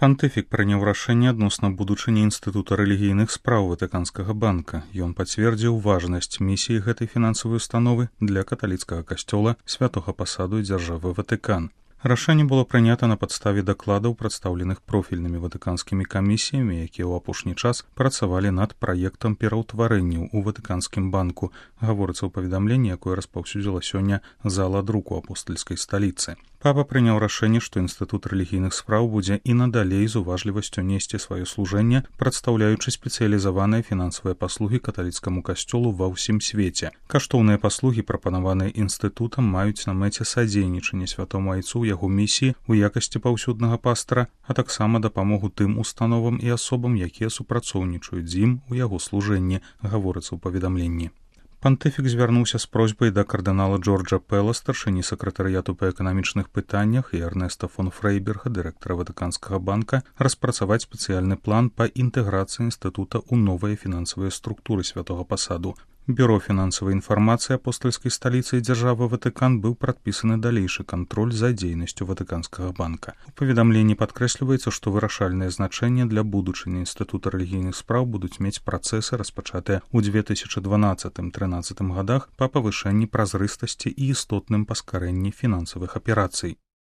Пантыфік прыняў рашэнне адносна будучыні Інстытута рэлігійных спраў Ватыканскага банка. Ён пацвердзіў важнасць місіі гэтай фінансавай установы для каталіцкага касцёла, святога пасаду і дзяржавы Ватыкан. Рашэнне было прынята на падставе дакладаў, прадстаўленых профільнымі ватыканскімі камісіямі, якія ў апошні час працавалі над праектам пераўтварэнняў у Ватыканскім банку, гаворыцца ў паведамленні, якое распаўсюдзіла сёння зала друку апостальскай сталіцы. Папа прыняў рашэнне, што Інстытут рэлігійных спраў будзе і надалей з уважлівасцю несці сваё служэнне, прадстаўляючы спецыялізаваныя фінансавыя паслугі каталіцкаму касцёлу ва ўсім свеце. Каштоўныя паслугі, прапанаваныя інстытутам, маюць на мэце садзейнічанне святому айцу ў яго місіі ў якасці паўсюднага пастара, а таксама дапамогу тым установам і асобам, якія супрацоўнічаюць з ім у яго служэнні, гаворыцца ў паведамленні. Пантыфік звярнуўся з просьбай да кардынала Джорджа Пэла, старшыні сакратарыяту па эканамічных пытаннях, і Эрнеста фон Фрейберга, дырэктара Ватыканскага банка, распрацаваць спецыяльны план па інтэграцыі інстытута ў новыя фінансавыя структуры святога пасаду. Бюро фінансавай інфармацыі апостальскай сталіцы і дзяржавы Ватыкан быў прадпісаны далейшы кантроль за дзейнасцю Ватыканскага банка. У паведамленні падкрэсліваецца, што вырашальнае значэнне для будучыні Інстытута рэлігійных спраў будуць мець працэсы, распачатыя ў 2012-13 годах па павышэнні празрыстасці і істотным паскарэнні фінансавых аперацый.